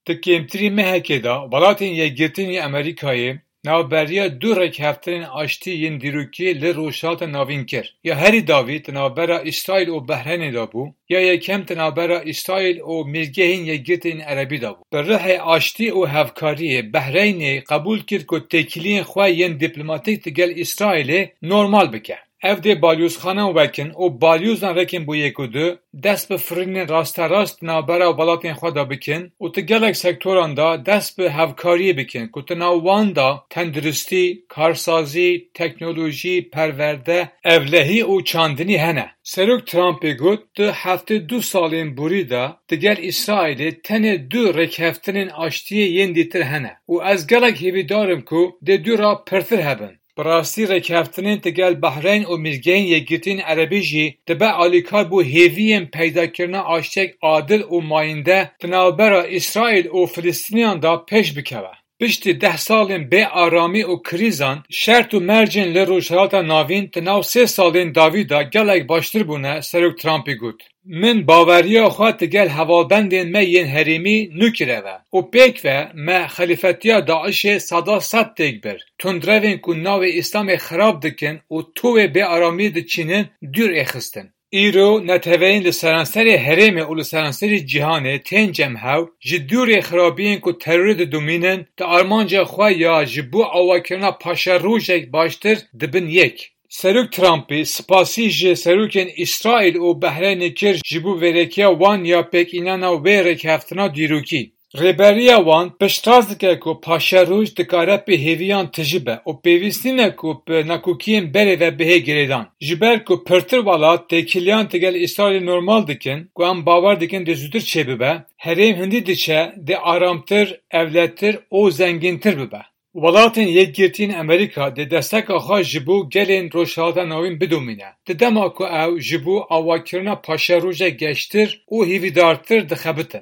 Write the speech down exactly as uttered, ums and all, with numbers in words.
Di kêmtirî mehekê de Welatên Yekgirtî yên Amerîkayê navberiya du rêkeftinên aştî yên dîrokî li Rojhilata Navîn kir. Ya herî dawî di navbera Îsraîl û Behreynê de bû, ya yekem di navbera Îsraîl û Mîrgehên Yekgirtî yên Erebî de bû. Bi ruhê aştî û hevkariyê Behreynê qebûl kir ku têkiliyên xwe yên dîplomatîk digel Îsraîlê normal bike. Ev dê balyozxanan wekin û balyozan rekin bo yek û du dest bi firînên rasterast di navbera welatên xwe de bikin û di gelek sektoran de dest bi hevkariyê bikin ku di nav wan de tenduristî, karsazî, teknolojî, perwerde, ewlehî û çandinî hene. Serok Trumpê got, di heftê du salên borî de digel Îsraîlê tenê du rêkeftinên aştiyê yên dîtir hene û ez gelek hêvîdar im ku dê dû re pirtir hebin. Bi rastî rêkeftinên digel Behreyn û Mîrgehên Yekgirtî yên Erebî jî dibe alîkar bo hêviyên peydakirina aştiyek adil û mayînde di navbera Îsraîl û Filistîniyan de pêş bikeve. Piştî deh salên bê aramî û krîzan, şert û mercên li Rojhilata Navîn di nav sê salên dawî de gelek baştir bûne, Serok Trumpî got. Min baweriya xwe digel hevalbendên me yên herêmî nû kireve û pêk ve me xelîfetiya DAIŞê seda sed têk bir. Tundrevên ku navê Îslamê xirab dikin û tovê bêaramiyê diçînin dûr ê xistin. Îro neteweyên li seranserê herêmê û li seranserê cîhanê tên cem hev, ji dûrê xirabiyên ku terorê didomînin, di armanca xwe ya ji bo awakirina paşerojek baştir dibin yek. Serok Trumpî spasî ji serokên Îsraîl û Behreynê kir ji bo vêrekiya wan ya pêkînana wê rêkeftina dîrokî. Rêberiya wan piştrast dike ku paşeroj dikare pê hêviyan tijî be û pêwîst nîne ku bi nakokiyên berê ve bihê girêdan. Ji ber ku pirtir welat têkiliyan digel Îsraîlê normal dikin ku em bawer dikin dê zûtir çêbibe, herêm hindî diçe dê aramtir, ewletir û zengîntir bibe. Welatên Yekgirtî yên Amerîka dê desteka xwe ji bo gelên Rojhilata Navîn bidomîne, di dema ku ew ji bo awakirina paşerojek geştir û hêvîdartir dixebitin.